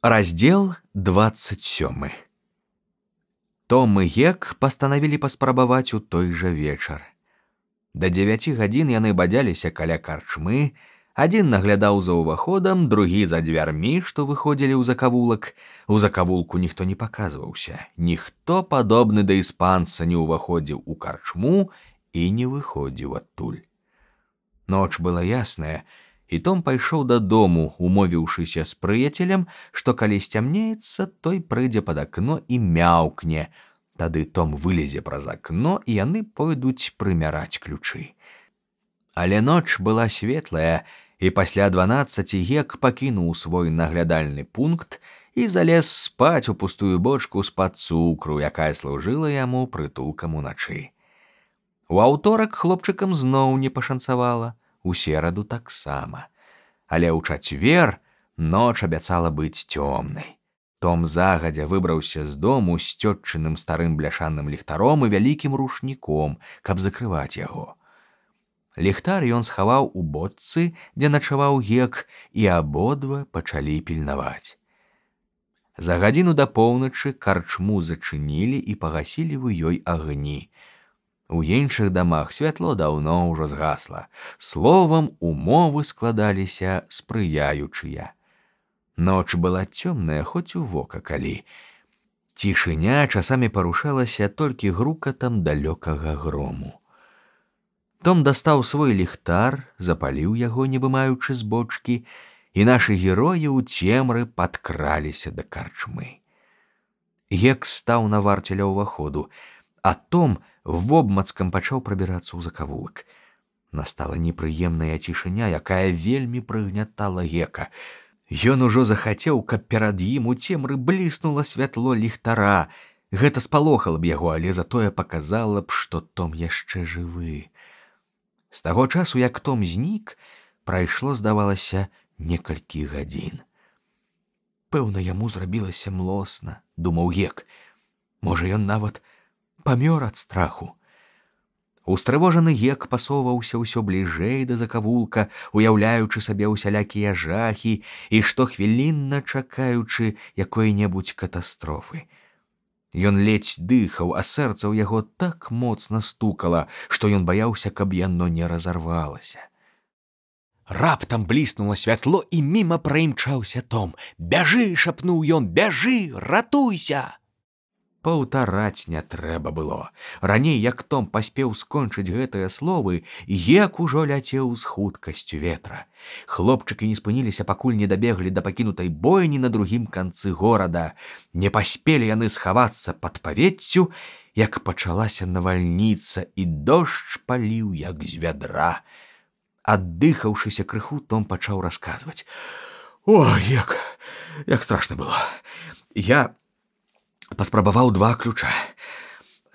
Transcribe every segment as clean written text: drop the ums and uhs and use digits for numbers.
Раздел 27. Том і Гек пастанавілі паспрабаваць у той жа вечар. Да 9 гадзін яны бадзяліся каля карчмы, адзін наглядаў за ўваходам, другі за дзвярмі, што выходзілі ў закавулак. У закавулку ніхто не паказваўся, ніхто падобны да іспанца не ўваходзіў у карчму і не выходзіў адтуль. Ноч была ясная, і Том пайшоў дадому, умовіўшыся з прыяцелем, што калі сцямнеецца, той прыйдзе пад акно і мяўкне. Тады Том вылезе праз акно, і яны пойдуць прымяраць ключы. Але ноч была светлая, і пасля 12 Гек пакінуў свой наглядальны пункт і залез спаць у пустую бочку з-пад цукру, якая служыла яму прытулкам уначы. У аўторак хлопчыкам зноў не пашанцавала, у сераду таксама. Але ў чацвер ноч абяцала быць цёмнай. Том загадзя выбраўся з дому з цётчыным старым бляшаным ліхтаром і вялікім рушніком, каб закрываць яго. Ліхтар ён схаваў у бочцы, дзе начаваў Гек, і абодва пачалі пільнаваць. За гадзіну да поўначы карчму зачынілі і пагасілі ў ёй агні. У іншых дамах святло даўно ўжо згасла. Словам, умовы складаліся спрыяючыя. Ноч была цёмная, хоць у вока калі. Цішыня часамі парушалася толькі грукатам далёкага грому. Том дастаў свой ліхтар, запаліў яго, не вымаючы з бочкі, і нашы героі ў цемры падкраліся да карчмы. Гек стаў на варце ля ўваходу, а Том вобмацкам пачаў прабірацца ў закавулак. Настала непрыемная цішыня, якая вельмі прыгнятала Гека. Ён ужо захацеў, каб перад ім у цемры бліснула святло ліхтара. Гэта спалохала б яго, але затое паказала б, што Том яшчэ жывы. З таго часу, як Том знік, прайшло, здавалася, некалькі гадзін. Пэўна, яму зрабілася млосна, думаў Гек. Можа, ён нават памёр ад страху. Устрывожаны Гек пасоўваўся ўсё бліжэй да закавулка, уяўляючы сабе ўсялякія жахі і штохвілінна чакаючы якой-небудзь катастрофы. Ён ледзь дыхаў, а сэрца ў яго так моцна стукала, што ён баяўся, каб яно не разарвалася. Раптам бліснула святло, і міма праімчаўся Том. «Бяжы!» — шапнуў ён. «Бяжы! Ратуйся!» Паўтараць не трэба было. Раней, як Том паспеў скончыць гэтыя словы, Гек ужо ляцеў з хуткасцю ветра. Хлопчыкі не спыніліся, пакуль не дабеглі да пакінутай бойні на другім канцы горада. Не паспелі яны схавацца пад павеццю, як пачалася навальніца, і дождж паліў, як з вядра. Аддыхаўшыся крыху, Том пачаў расказваць. «О, Гек, як страшна было! Я паспрабаваў 2 ключа.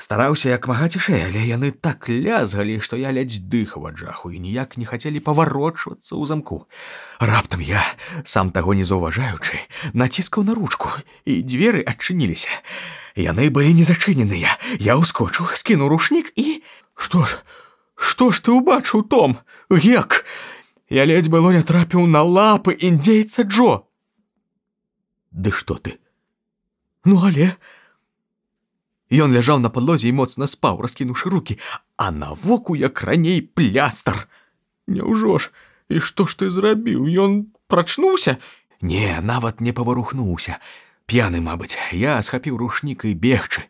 Стараўся як мага цішэй, але яны так лязгалі, што я ледзь дыхаў ад жаху і ніяк не хацелі паварочвацца ў замку. Раптам я, сам таго не заўважаючы, націскаў на ручку, і дзверы адчыніліся. Яны былі не зачыненыя. Я ўскочыў, скінуў рушнік і... Што ж ты ўбачыў, Том? Гек! Я ледзь было не трапіў на лапы індзейца Джо!» «Ды што ты? Ну, але...» Ён ляжаў на падлозе і моцна спаў, раскінуўшы рукі, а на воку, як раней, плястар. «Няўжо ж? І што ж ты зрабіў? Ён прачнуўся?» «Не, нават не паварухнуўся. П'яны, мабыць. Я схапіў рушнік і бегчы.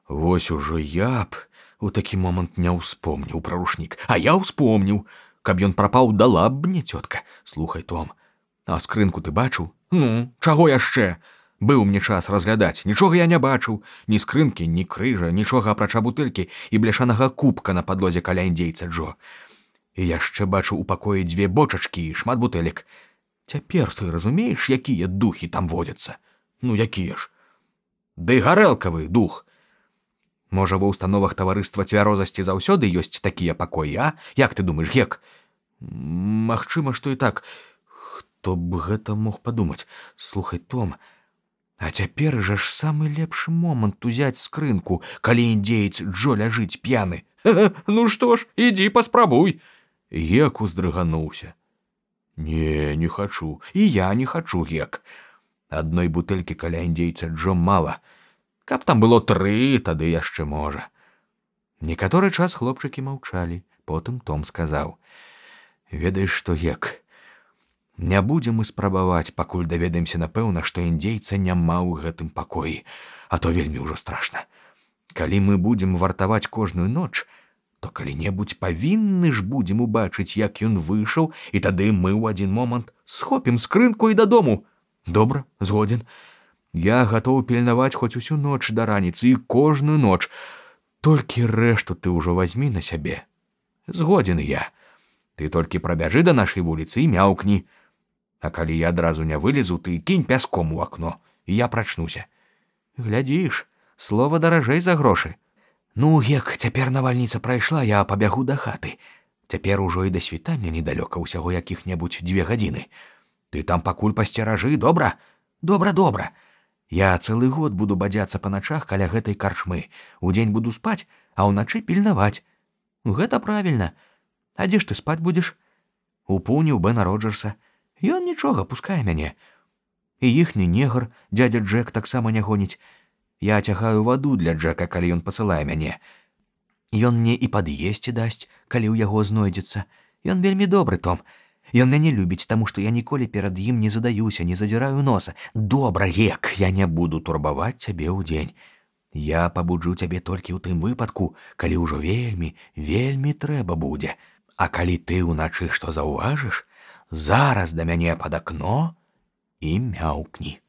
Вось ужо я б у такі момант не ўспомніў пра рушнік. А я ўспомніў. Каб ён прапаў, дала б мне цётка. Слухай, Том, а скрынку ты бачыў? Ну, чаго яшчэ? Быў мне час разглядаць. Нічога я не бачыў. Ні скрынкі, ні крыжа, нічога апрача бутэлькі і бляшанага кубка на падлозе каля індзейца Джо. І яшчэ бачыў у пакоі 2 бочачкі і шмат бутэлек. Цяпер ты разумееш, якія духі там водзяцца? Ну, якія ж? Ды гарэлкавы дух. Можа, ва ўстановах таварыства цвярозасці заўсёды ёсць такія пакоі, а? Як ты думаеш, Гек?» «Магчыма, што і так. Хто б гэта мог падумаць? Слухай, Том, а цяпер жа ж самы лепшы момант узяць скрынку, калі індзеец Джо ляжыць п'яны. Ну што ж, ідзі паспрабуй!» Гек уздрыгануўся. «Не, не хачу. І я не хачу, Гек. Адной бутэлькі каля індзейца Джо мала. Каб там было 3, тады яшчэ можа. Некаторы час хлопчыкі маўчалі. Потым Том сказаў: «Ведаеш што, Гек, не будзем мы спрабаваць, пакуль даведаемся напэўна, што індзейца няма ў гэтым пакоі, а то вельмі ўжо страшна. Калі мы будзем вартаваць кожную ноч, то калі-небудзь павінны ж будзем убачыць, як ён выйшаў, і тады мы ў адзін момант схопім скрынку і дадому. Добра, згодзін. Я гатоў пільнаваць хоць усю ноч да раніцы і кожную ноч. Толькі рэшту ты ўжо вазьмі на сябе. Згодзін я. Ты толькі прабяжы да нашай вуліцы і мяўкні. А калі я адразу не вылезу, ты кінь пяском у акно, і я прачнуся. Глядзіш, слова даражэй за грошы. Ну, Гек, цяпер навальніца прайшла, я пабягу да хаты. Цяпер ужо і да світання недалёка, усяго якіх-небудзь 2 гадзіны. Ты там пакуль пасцеражы, добра? Добра, добра. Я цэлы год буду бадзяцца па начах каля гэтай карчмы. Удзень буду спаць, а ўначы пільнаваць. Гэта правільна. А дзе ж ты спаць будзеш? У пуні ў Бена Роджерса. Ён нічога, пускае мяне. І іхні негр, дядя Джек, таксама не гоніць. Я цягаю ваду для Джека, калі ён пасылае мяне. Ён мне і пад'есці дасць, калі ў яго знойдзецца. Ён вельмі добры, Том. Ён мяне любіць, таму што я ніколі перад ім не задаюся, не задзіраю носа. Добра, Гек, я не буду турбаваць цябе ўдзень. Я пабуджу цябе толькі ў тым выпадку, калі ўжо вельмі, вельмі трэба будзе. А калі ты ўначы што заўважыш, зараз да мяне пад акно і мяўкні.